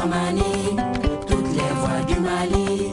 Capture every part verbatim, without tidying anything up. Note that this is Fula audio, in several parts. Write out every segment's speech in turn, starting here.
Tamani, toutes les voix du Mali,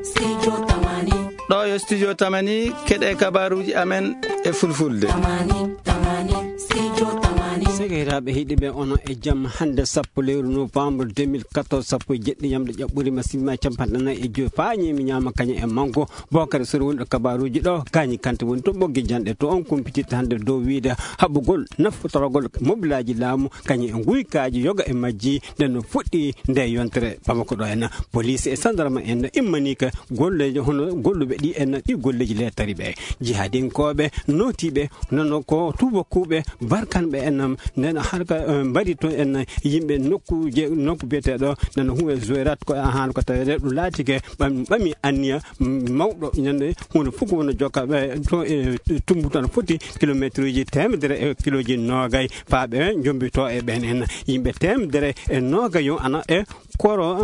Studio Tamani. Ɗo yo Studio Tamani, keɗe kabaruuji amen e fulfulde. Tamani, Tamani, Studio Tamani. Sekiraaɓe heɗiiɓe, onon e jam. Hannde sappo lewru novembre deux mille quatorze, sappo e jeɗɗi yamɗe ƴaɓɓuri ma simma capanɗe nayi e joyi, faa ñiimi ñaama kañum e manko. Bokare Sori woni ɗo kabaruuji ɗo, Gaañi Kante woni to ɓoggi janɗe to, on kumpititta hannde dow wiide haɓugol nafotoragol mobilaaji laamu kañum e nguykaaji yoga e majji, nden no fuɗɗi nde yontere Bamako ɗo en. Police e sandarma en immanii ka golleeji hono golluɓe ɗi en ɗi golleeji lettari ɓe. Jihadinkooɓe nootiiɓe nono ko tuubakuuɓe barkanɓe en nden harka, eh, mbaɗi to en yimɓe nokkuuje, nokku biyeteeɗo nden huwe Zoirat ko ahan ko tawede ɗum laatike ɓam-, ɓami anniya mawɗo ñande hunde fof ko wona jokka ɓe to e tumbuto no foti kilometre uji teemedere e kiloji noogay faa ɓe jombito e ɓen en. Yimɓe teemedere e noogay yo ana e koro,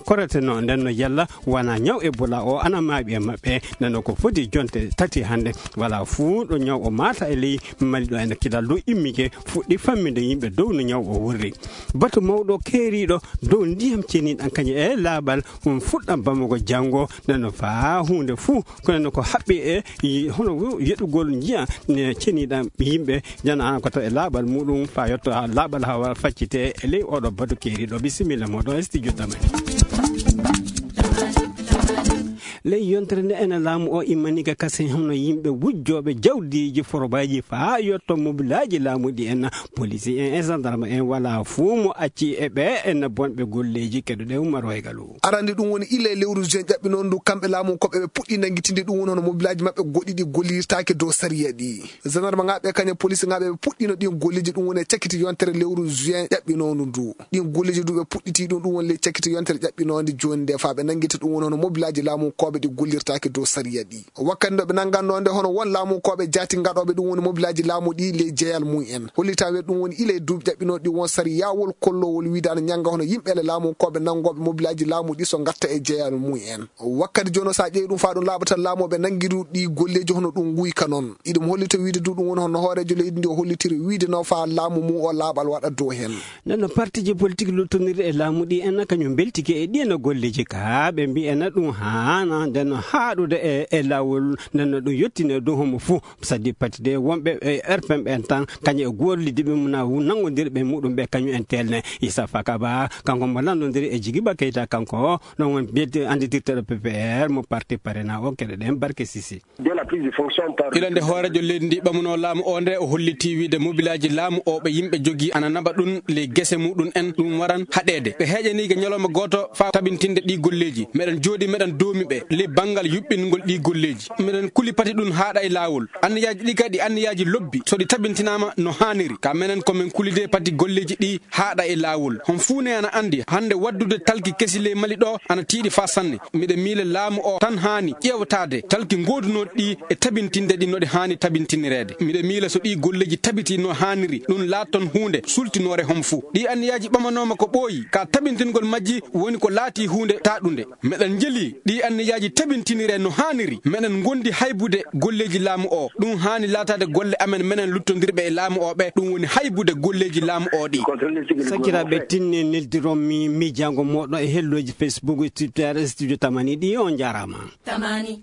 koreteno nden no yalla wona ñaw Ebola o ana maaɓi e maɓɓe. Nden no ko foti jonte tati hannde. Wala fuu ɗo ñaw o maata e ley Mali ɗo ene kilal ɗo immike fuɗɗi famminde yimɓe dow no ñaw o wurri. Batu mawɗo keeriiɗo dow ndiyam ceniɗan kañum e laaɓal ɗum fuɗɗan Bamako janngo. Nden no faa huunde fuu kono no ko haɓɓi e yi-, hono wo-, yeɗugol njiya ne ceniɗan yimɓe jana an ko taw e laaɓal muɗum faa yetto haa laaɓal haa wara faccite e ley oɗo batu keeriiɗo. Bisimilla moɗon e studio Tamani. Ley yontere nde ene laamu o immanii ka kasen hono yimɓe wujjooɓe jawdiiji forobaaji faa yetto mobilaaji laamu ɗi en, polisi en e sandarma en wala fuu mo acci e ɓe en bonɓe golleeji. Keɗoɗen Umar Waygalu. Arande ɗum woni ila e lewru juin ƴaɓɓinoo ndu, kamɓe laamu koɓe ɓe puɗɗi nanngitinde ɗum woni hono mobilaaji maɓɓe goɗɗi ɗi gollirtaake dow sariya ɗi. Gendarme ŋaaɓe kañum e police ŋaaɓe ɓe puɗɗino ɗin golleeji ɗum woni e cakiti yontere lewru juin ƴaɓɓinoondu ndu. Ɗin golleeji du ɓe puɗɗiti ɗum, ɗum woni ley cakiti yontere ƴaɓɓinoonde jooni nde faa ɓe nanngita ɗum woni hono mobilaaji laamu koɓe ɗi gollirtaake dow sariya ɗi. Wakkati nde ɓe nannganno nde hono won laamu koɓe jaati ngaɗooɓe ɗum woni mobilaaji laamu ɗi ley jeyal mum en. Hollita wiyde ɗum woni ila e duuɓi ƴaɓɓinooɗi ɗi won sariyaawol kolloowol wiide ana ñannga hono yimɓe ele laamu koɓe nanngooɓe mobilaaji laamu ɗi so ngatta e jeyal mum en. Wakkati jooni o, so a ƴeewi ɗum faa ɗum laaɓa tan laamu o ɓe nanngiru ɗi golleeji hono ɗum nguyka noon. Iɗum hollita wiide du ɗum woni hono hooreejo leydi ndi o hollitiri wiide no faa laamu mum o laaɓal waɗa dow heen. Nden no partiiji politik luttondirɗi e laamu ɗi en kañum mbeltike e ɗi en golleeji ka ɓe mbi'en ɗum haana nden no haaɗude e, e laawol nden no ɗum yettine dow homo fuu. Sadi pati de wonɓe e R P M ɓen tan kañum e gollidde ɓe mum na wu-, nanngondirɓe muɗum ɓe kañum en telne. Issa Fakaba kanko mo lanndondiri e Jigiba Keita kanko ɗon won mbiyete annditirteɗo P P R mo parti Parena o keɗoɗen Barke Sisi. Dès la prise de fonction par Ila nde hooreejo leydi ndi ɓamunoo laamu o nde o hollitii wiide mobilaaji laamu o ɓe yimɓe jogii ana naɓa ɗum ley gese muɗum en ɗum waran haɗeede. Ɓe heeƴaniike ñalawma gooto faa tabintinde ɗii golleeji. Meɗen jooɗii meɗen doomi ɓe ley banngal yuɓɓingol ɗii golleeji. Meɗen kuli pati ɗum haaɗa e laawol. Anniyaaji ɗi kadi anniyaaji lobbi so ɗi tabintinaama no haaniri. Ka menen ko men kulidee pati golleeji ɗi haaɗa e laawol. Hon fuu ne ana anndi hannde waddude talki kesi ley Mali ɗo ana tiiɗi faa sanne. Miɗa miila laamu o tan haani ƴeewtaade talki ngoodunooɗi ɗi e tabintinde ɗi no ɗi haani tabintinireede. Miɗa miila so ɗii golleeji tabitii no haaniri, ɗum laatton huunde sultinoore hon fuu. Ɗii anniyaaji ɓamanooma ko ɓooyi, ka tabintingol majji woni ko laatii huunde taaɗunde. Meɗen njeli ɗii anniyaaji tabintiniree no haaniri. Meɗen ngondi haybude golleeji laamu o. Ɗum haani laataade golle amen menen luttondirɓe e laamu o ɓe. Ɗum woni haybude golleeji laamu o ɗi. Sakiraaɓe, tinni neldiron mi miijaango mooɗon e hellooji Facebook e Twitter e Studio Tamani ɗi. On njaaraama. Tamani.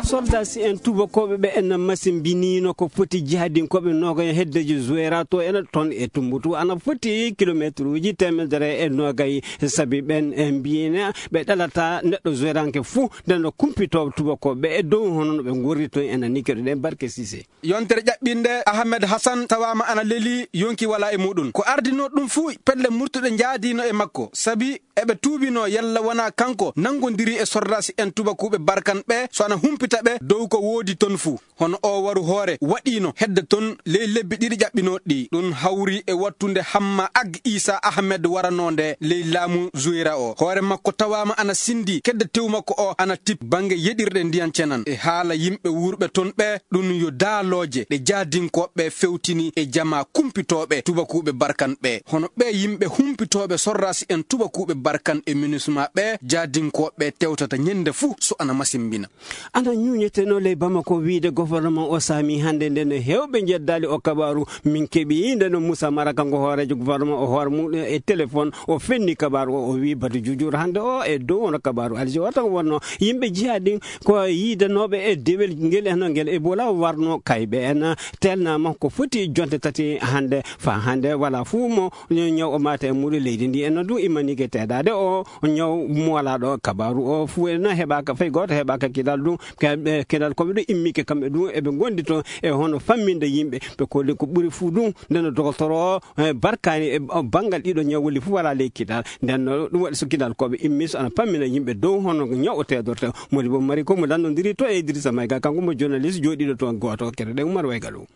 Soldasi en tubakooɓe ɓe en masimbiniino ko foti jihadinkooɓe noogay heddeji Zuwera to en ton e Tumbutu ana foti kilomeetruuji teemedere e noogay. Sabi ɓen e mbiina ɓe ɗalata neɗɗo Zuweranke fuu nden no kumpito tubakooɓe e dow hono no ɓe ngorri ton en ni keɗoɗen Barke Sise. Yontere ƴaɓɓinde, Ahmed Hassan tawaama ana lelii, yonki walaa e muɗum. Ko ardinoo ɗum fuu, pelle murtuɗe njaadiino e makko, sabi eɓe tuubinoo yalla wonaa kanko nanngondiri e sordaasi en tubakuuɓe Barkan ɓe, so ana humpita ɓe dow ko woodi ton fuu. Hono oo waru hoore waɗiino hedde ton ley lebbi ɗiɗi ƴaɓɓinooɗi ɗi. Ɗum hawri e wattunde Hamma Ag Isa Ahmed waranoonde ley laamu Zuwera o. Hoore makko tawaama ana sindi, kedde tew makko o ana tip bannge yeɗirɗe ndiyan cenan. E haala yimɓe wuurɓe ton ɓe, ɗum yo daalooje ɗe jaadinkooɓe fewtini e jamaa kumpitooɓe tubakuuɓe Barkan ɓe. Hono ɓee yimɓe humpitooɓe sorraasi en tubakuuɓe Barkan e minusma ɓe, jaadinkooɓe tewtata ñennde fuu so ana masimbina. Ana Ñuuñeteno ley Bamako wiyde gouvernement o saami hannde nde no heewɓe njeddaali o kabaaru. Min keɓi nde no Moussa Mara, kanko hooreejo gouvernement o hoore muɗum e téléphone, o fenni kabaaru o, o wi batu juujuur hannde o e dow hono kabaaru Alger o tan wonno yimɓe jihaa ɗin ko yiidanooɓe e dewel ngel e hono ngel Ebola warno kayɓe en telnaama ko foti jonte tati hannde. Faa hannde wala fuu mo ñaw o maata e muɗum leydi ndi en no ɗum immaniike teedaade o ñaw moolaaɗo kabaaru o fuu en heɓaaka fay gooto heɓaaka kidal ɗum. Ke-, ɓe kedal ko ɓe ɗo immike kamɓe ɗum eɓe ngondi toon e hono famminde yimɓe ɓe kolli ko ɓuri fuu ɗum. Nden no dogotoro o, eh, barkaani e, o banngal ɗiɗo ñawuli fuu wala ley kidal. Nden no ɗum waɗi so kidal ko ɓe immi so ana fammina yimɓe dow hono ñaw o teedorte. Modi bo mari ko mo lanndondiri to e Idrissa Mayga, kanko mo journaliste jooɗiiɗo toon gooto kede ɗen Umar Waygalu.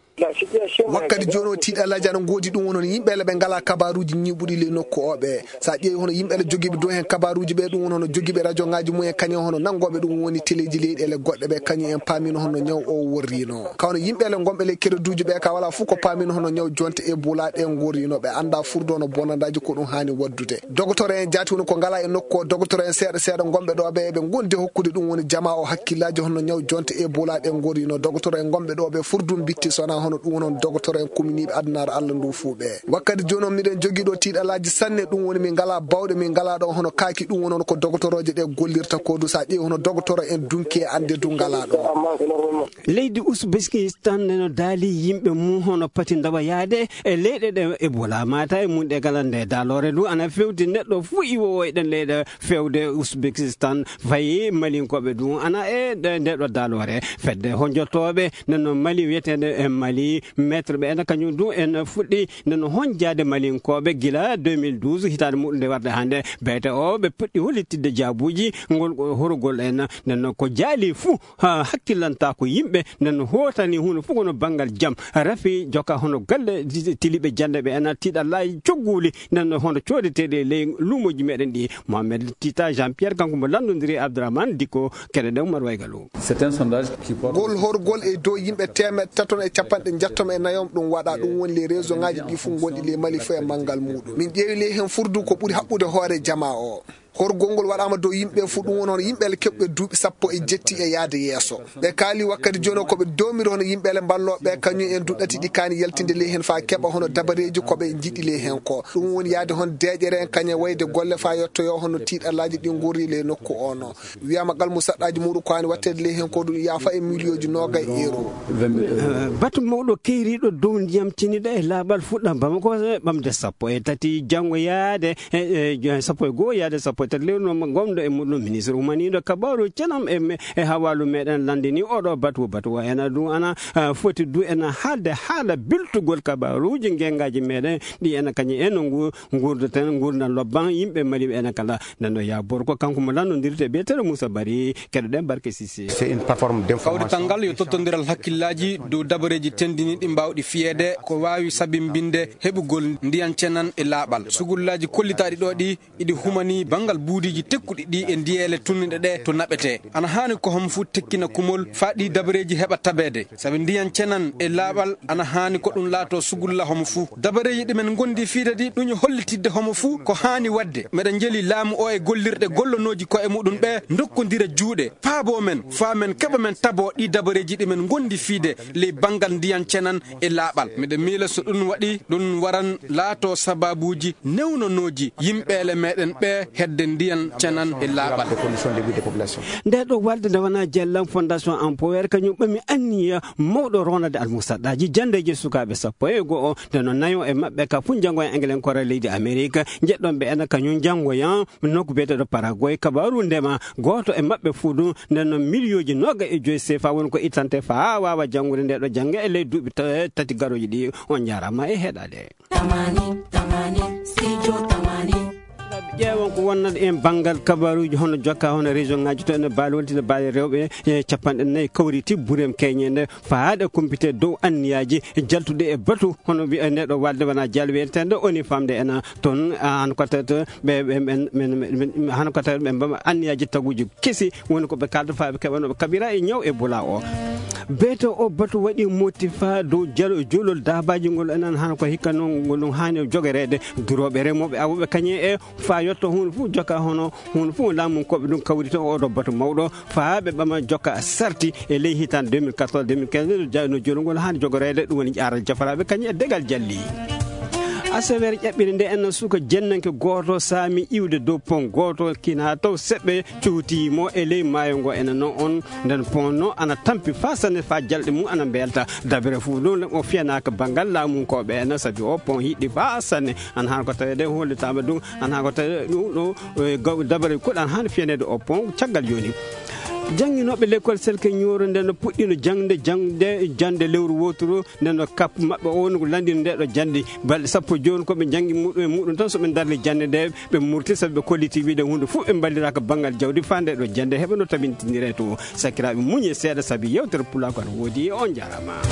Wakkati jooni o tiiɗalaaji ana ngoodi ɗum won hono yimɓe ele ɓe ngalaa kabaaruuji ñiiɓuɗi ley nokku o ɓe. So a ƴeewi hono yimɓe ele jogiiɓe dow heen kabaaruuji ɓe ɗum won hono jogiiɓe rajo ŋaaji mumen kañum hono nanngooɓe ɗum woni teleeji leyɗeele goɗɗe ɓe kañum en paamino hono ñaw o worriino. Ka hono yimɓe ele ngonɓe ley kereduuji ɓe ka wala fof ko paamino hono ñaw jonte e bulaaɗe ngorriino ɓe annda furdo no bonandaaji ko ɗum haani waddude. Dogotoro en jaati woni ko ngalaa e nokku o, dogotoro en seeɗa seeɗa ngonɓe ɗo ɓe eɓe ngondi hokkude ɗum woni jamaa o hakkillaaji hono ñaw jonte e bulaaɗe ngorriino. Dogotoro en ngonɓe ɗo ɓe furdu bitti sona hono ɗum woni dogotoro en kuminiiɓe adunaaru Allah ndu fuu ɓe. Wakkati jooni on miɗen jogii ɗo tiiɗalaaji sanne, ɗum woni min ngalaa bawɗe, min ngalaa ɗo hono kaaki, ɗum woni hono ko dogotorooje ɗe gollirta ko du. So a ƴeewi hono dogotoro en dunki e annde du ngalaa ɗo. Leydi Uzbekistan neno daali yimɓe mum hono pati ndawa yaade e leyɗe ɗe Ebola maata e mum ɗe kala nde daaloore ndu ana fewti neɗɗo fuu iwoowo e ɗen leyɗe fewde Uzbekistan fayi malinkooɓe du ana e ɗe-, nde ɗo daaloore. Fedde honjotooɓe neno Mali wiyeteende e Mali maître ɓe ena kañum du en fuɗɗi neno honjaade malinkooɓe gila deux mille douze hitaande muɗum nde warde hannde. Beete o ɓe puɗɗi hollitidde jaabuuji ngol horugol en neno ko jaali fuu ha hakkillanta ko yimɓe nden no hootani huno fof kono banngal jam rafi joka hono galle tiliɓe jannde ɓe ena tiiɗallaaji cogguuli nden no hono coodeteeɗe e ley luumooji meɗen ɗi. Mohamed Tita Jean Pierre kanko mo lanndondiri e Abdourahmane Dikko keɗe ɗen Umar Waygalu. C'est un sondage qui porte. Ngol horgol e dow yimɓe teemeɗɗe taton e capanɗe njettom e nayom ɗum waɗa ɗum woni les région ngaji ɗi fof gonɗi ley Mali fof e manngal muɗum min ƴeewi ley heen furdu ko ɓuri haɓɓude hoore jamaa o. Horgol ngol waɗaama dow yimɓe ɓe fof, ɗum woni hono yimɓe ele keɓɓe duuɓi sappo e jetti e yahde yeeso. Ɓe kaali wakkati jooni o ko ɓe doomiri hono yimɓe ele mballooɓe ɓe, kañum en duɗɗati ɗi kaani yaltinde ley heen faa keɓa hono dabareeji ko ɓe njiɗi ley heen ko. Ɗum woni yahde hono deeƴere en kañum e wayde golle faa yettoyoo hono tiiɗallaaji ɗi ngorri ley nokku o no. Wiyaama ngal musaɗɗaaji muɗum ko haani waɗteede ley heen ko ɗum yaafa e miliyooji noogay euro. Eh, batu mawɗo keyriiɗo dow ndiyam ceniɗo e laaɓal fuɗɗam Bamako e ɓamde sappo e tati janngo yaade e, e, sappo e goo yaade sappo e tati lewru noon gomɗo e muɗum ministre umaniiɗo kabaaru cenam e, me-, e hawaalu meɗen lanndini oɗo batu, batu o ena ɗum ana, ah, foti du ena haalde haala biltugol kabaaruuji ngengaaji meɗen ɗi ena kañum en no ngu-, nguurdaten nguurndam lobban yimɓe Mali ɓe ena kala. Nden ɗo Yaa Bor ko kanko mo lanndondirte biyeteeɗo Moussa Bari, keɗoɗen Barke Sise. C'est une plateforme d'information. Kawrital ngal yo tottondiral hakkillaaji dow dabareeji tenndiniiɗi mbaawɗi fiyeede ko waawi sabimbinde heɓugol ndiyan cenan e laaɓal. Sugullaaji kollitaaɗi ɗo ɗi iɗi humanii banngal buudiiji tekkuɗi ɗi e ndiyeele tunniɗe ɗe to naɓetee. Ana haani ko homo fuu tekkina kumol faa ɗii dabareeji heɓa tabeede. Sabi ndiyan cenan e laaɓal ana haani ko ɗum laatoo sugulla homo fuu. Dabareeji ɗi men ngondi fiide ɗi ɗum e hollitidde homo fuu ko haani waɗde. Meɗen njeli laamu o e gollirɗe gollonooji ko'e muɗum ɓe ndokkondira juuɗe, paaboo men, faa men keɓa men taboo ɗii dabareeji ɗi men ngondi fiide ley banngal ndiyan cenan e laaɓal. Miɗen miila so ɗum waɗi, ɗum waran laatoo sabaabuuji newnonooji yimɓeele meɗen ɓe hedde ndiyan cenan e laaɓal. Nde ɗo walde nde wona Jellam Fondation Empower kañum ɓami anniya mawɗo ronade almusaɗɗaaji janndeeji sukaaɓe sappo e go'o, nde no nayo e maɓɓe ka fuu njanngoya Englenkore leydi Amerik, njeɗɗon ɓe ena kañum njanngoya nokku biyeteeɗo Paraguay, kabaaru ndema, gooto e maɓɓe fuu ɗum, nden no miliyooji nooga e joyi sefa woni ko ittante faa waawa janngude nde ɗo jannge e ley duuɓi ta-, tati garooji ɗi. On njaaraama e heɗaade. Tamani, tamani, studio tamani. Ƴeewon ko wonnata en banngal kabaaruuji hono jokka hono région ngaji to ene baali wonti no baali rewɓe e capanɗe nayi kawriti burem keñe nde faade kumpite dow anniyaaji jaltuɗe e batu hono wiya nde ɗo walde wona jal wiyetende oni famde ena toon an ko tawata ɓe, ɓe, ɓen, ɓen, ɓen, han ko tawata ɓe mbama anniyaaji taguuji kesi woni ko ɓe kalda faa ɓe keɓa no ɓe kaɓira e ñaw e bula o. Beeto o batu waɗi motti faa dow jalo juulol daabaaji ngol enen hano ko hikka noon ngol ɗum haani jogoreede durooɓe remooɓe awooɓe kañe e faa yotto huunde fof joka hono huunde fof laamunkooɓe ɗum kawrita oɗo batu mawɗo faa ɓe ɓama joka sarti e ley hitaande deux mille quatorze deux mille quinze jayno juulol ngol haani jogoreede ɗum woni ƴaaral jafaraaɓe kañe e degal jalli. Aseweere ƴaɓɓiri nde en suka jennanke gooto saami iwde dow pon gooto kina taw seɓɓe cuuti mo e ley maayo ngo ene no on nden pon no ana tampi faa sanne faa jalɗe mum ana mbelta dabere fof ɗum o fiyanaaka banngal laamunkooɓe ene sabi o pon hiɗɗi faa sanne an haa ko tawede hollitaama ɗum an haa ko tawi ɗum ɗo e gaw- dabere kuɗan haa fiyaneede o pon caggal jooni. Jannginooɓe lekkol selke ñooro nden no puɗɗino jangde jangde jande lewru woturu nden no kap maɓɓe o woni ko landino nde ɗo jande balɗe sappo jooni ko ɓe jangi muɗum e muɗum tan so ɓe darni jande nde ɓe murti sabu ɓe kolliti wiide hunde fof ɓe mballiraka banngal jawdi faa nde ɗo jande heɓa no tabintinire to. Sakiraaɓe muñe seeɗa sabu yewtere pulako ana woodi e on jarama.